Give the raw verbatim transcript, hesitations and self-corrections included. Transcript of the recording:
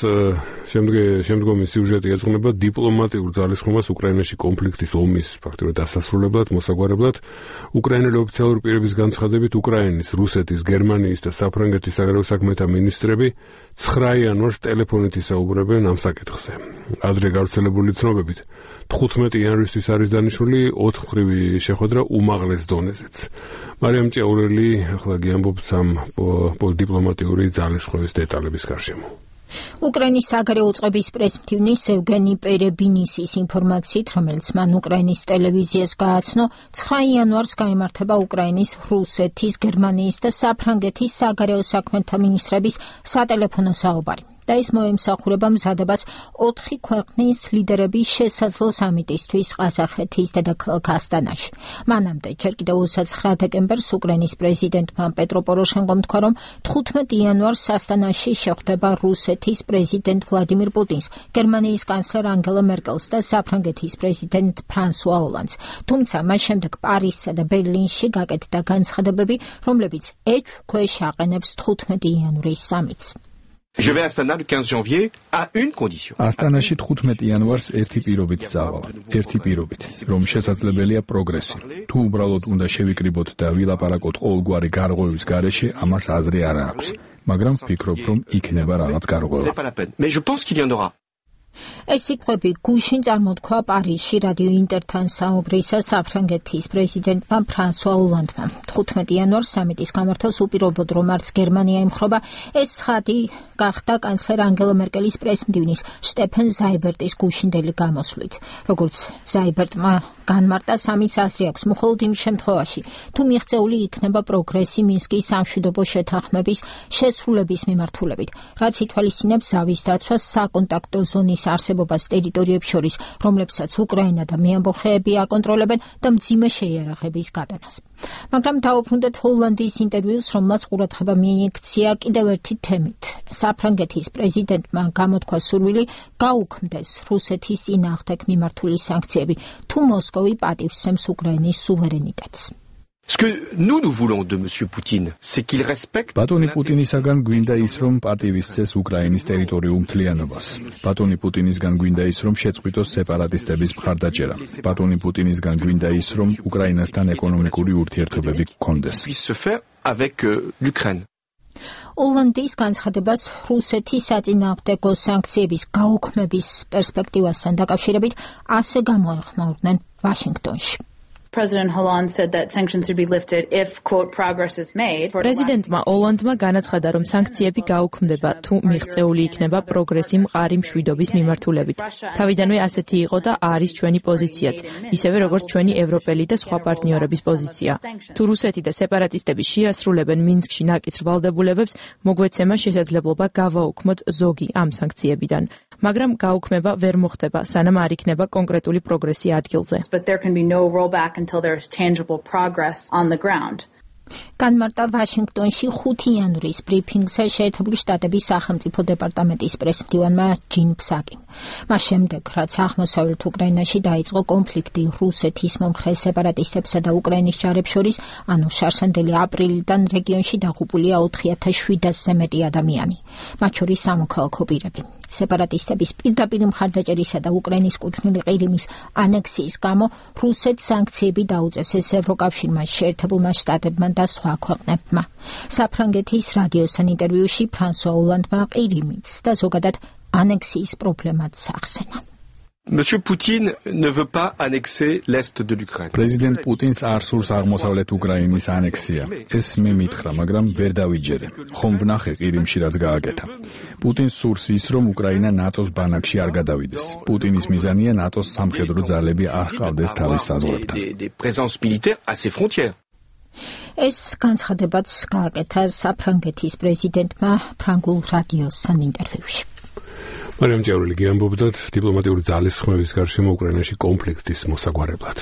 შემდგომი სიუჟეტი ეძღვნება დიპლომატიურ ძალისხმევას უკრაინაში კონფლიქტის ომის ფაქტობრივად დასასრულებლად, მოსაგვარებლად. უკრაინელი ოფიციალური პირების განცხადებით უკრაინის, რუსეთის, გერმანიის და საფრანგეთის საგარეო საქმეთა მინისტრები ცხრა იანვარს ტელეფონით ისაუბრებენ ამ საკითხზე. ადრე გავრცელებული ცნობებით თხუთმეტი იანვრისთვის არის დანიშნული ოთხმხრივი შეხვედრა უმაღლეს დონეზეც. მარიამ ჭეურელი ახლა გიამბობთ ამ დიპლომატიური ძალისხმევის დეტალების გარშემო. უკრაინის საგარეო უწყების პრესმდივნის ევგენი პერებინისის ინფორმაციით, რომელიც მან უკრაინის ტელევიზიას გააცნო, ცხრა იანვარს გაიმართება უკრაინის, რუსეთის, გერმანიის და საფრანგეთის საგარეო საქმეთა მინისტრების სატელეფონო საუბარი. და ის მოემსახურება მზადებას ოთხი ქვეყნის ლიდერების შესაძლო სამიტისთვის ყაზახეთის დედაქალაქ ასტანაში. მანამდე, ჯერ კიდევ ოცდაცხრა დეკემბერს უკრაინის პრეზიდენტმა პეტრო პოროშენკომ თქვა, რომ თხუთმეტი იანვარს ასტანაში შეხვდება რუსეთის პრეზიდენტ ვლადიმირ პუტინს, გერმანიის კანცლერ ანგელა მერკელს და საფრანგეთის პრეზიდენტ ფრანსუა ოლანდს. თუმცა მას შემდეგ პარიზსა და ბერლინში გაკეთდა განცხადებები, რომლებიც ეჭვქვეშ აყენებს თხუთმეტი იანვრის სამიტს. Je vais à Astana le quinze janvier à une condition. Astanashi თხუთმეტი იანვარს ერთი პირობით წავალ. ერთი პირობით, რომ შესაძლებელია პროგრესი. თუ უბრალოდ უნდა შევიკრიბოთ და ვილაპარაკოთ ყოველგვარი გარღვევის გარეშე, ამას აზრი არ აქვს. მაგრამ ვფიქრობ, რომ იქნება რაღაც გარღვევა. Mais je pense qu'il y en aura. ეს სიტყვები გუშინ წარმოთქვა პარიზში რადიო ინტერთან საუბრისა საფრანგეთის პრეზიდენტმა ფრანსუა ოლანდმა. თხუთმეტი იანვარს სამიტის გამართვას უპირობოდ, რომ არც გერმანია ემხრობა, ეს ცხადი გახდა კანცლერ ანგელა მერკელის პრესმდივნის შტეფენ ზაიბერტის გუშინდელი გამოსვლით. როგორც ზაიბერტმა განმარტა, სამიტს აზრი აქვს მხოლოდ იმ შემთხვევაში, თუ მიღწეული იქნება პროგრესი მინსკის სამშვიდობო შეთანხმების შესრულების მიმართულებით, რაც ითვალისწინებს ზავის დაცვას საკონტაქტო ზონის არსებობას ტერიტორიებს შორის, რომლებსაც უკრაინა და მეამბოხეები აკონტროლებენ და მძიმე შეიარაღების გატანას. მაგრამ დაუბრუნდეთ ჰოლანდიის ინტერვიუს, რომელმაც ყურადღება მიიქცია კიდევ ერთი თემით. საფრანგეთის პრეზიდენტმა გამოთქვა სურვილი გაუქმდეს რუსეთის წინააღმდეგ მიმართული სანქციები, თუ მოსკოვი პატივსცემს უკრაინის სუვერენიტეტს. Ce que nous nous voulons de monsieur Poutine, c'est qu'il respecte ბატონი პუტინისაგან გვინდა ის, რომ პატივისცეს უკრაინის ტერიტორიულ მთლიანობას. ბატონი პუტინისგან გვინდა ის, რომ შეწყვიტოს სეპარატისტების მხარდაჭერა. ბატონი პუტინისგან გვინდა ის, რომ უკრაინასთან ეკონომიკური ურთიერთობები გქონდეს. avec l'Ukraine. ოლანდის განცხადებას რუსეთის საწინააღმდეგო სანქციების გაუქმების პერსპექტივასთან დაკავშირებით ასე გამოეხმაურნენ ვაშინგტონში. President Hollande said that sanctions should be lifted if, quote, progress is made. პრეზიდენტმა ოლანდმა განაცხადა, რომ სანქციები გაუქმდება, თუ მიღწეული იქნება პროგრესი მყარი მშვიდობის მიმართულებით. თავიდანვე ასეთი იყო და არის ჩვენი პოზიციაც, ისევე როგორც ჩვენი ევროპელი და სხვა პარტნიორების პოზიცია. თუ რუსეთი და სეპარატისტები შეასრულებენ მინსკში ნაკის ვალდებულებებს, მოგვეცემა შესაძლებლობა გავაუქმოთ ზოგი ამ სანქციებიდან. მაგრამ გაუქმება ვერ მოხდება, სანამ არ იქნება კონკრეტული პროგრესი ადგილზე. But there can be no rollback until there is tangible progress on the ground. განმარტა ვაშინგტონში ხუთი იანვრის ბრიფინგზე შეერთებული შტატების სახელმწიფო დეპარტამენტის პრესმდივანმა ჯინ ფსაკიმ. მას შემდეგ, რაც აღმოსავლეთ უკრაინაში დაიწყო კონფლიქტი რუსეთის მომხრე სეპარატისტებსა და უკრაინის ჯარებს შორის, ანუ შარშანდელი აპრილიდან რეგიონში დაღუპულია ოთხი ათას შვიდასზე მეტი ადამიანი, მათ შორის სამოქალაქო პირები. სეპარატისტების პირდაპირ მხარდაჭერისა და უკრაინის კუთვნილი ყირიმის ანექსიის გამო რუსეთს სანქციები დაუწესეს ევროკავშირმა, შეერთებულმა შტატებმა და სხვა ქვეყნებმა. საფრანგეთის რადიოსთან ინტერვიუში ფრანსუა ოლანდმა ყირიმიც და ზოგადად ანექსიის პრობლემაც ახსენა. Monsieur Poutine ne veut pas annexer l'est de l'Ukraine. Président Poutine არ სურს აღმოსავლეთ უკრაინის ანექსია. ეს მე მითხრა, მაგრამ ვერ დავიჯერე. ხომ ვნახე ყირიმში რაც გააკეთა. პუტინს სურს ის, რომ უკრაინა ნატოს ბანაკში არ გადავიდეს. პუტინის მიზანია ნატოს სამხედრო ძალები არ ჰყავდეს თავის საზღვრებთან. Des présences militaires à ses frontières. ეს განცხადებაც გააკეთა საფრანგეთის პრეზიდენტმა ფრანგულ რადიოსთან ინტერვიუში. მარიამ ჭეურელი გიამბობდათ დიპლომატიური ძალისხმევის გარშემო უკრაინაში კონფლიქტის მოსაგვარებლად.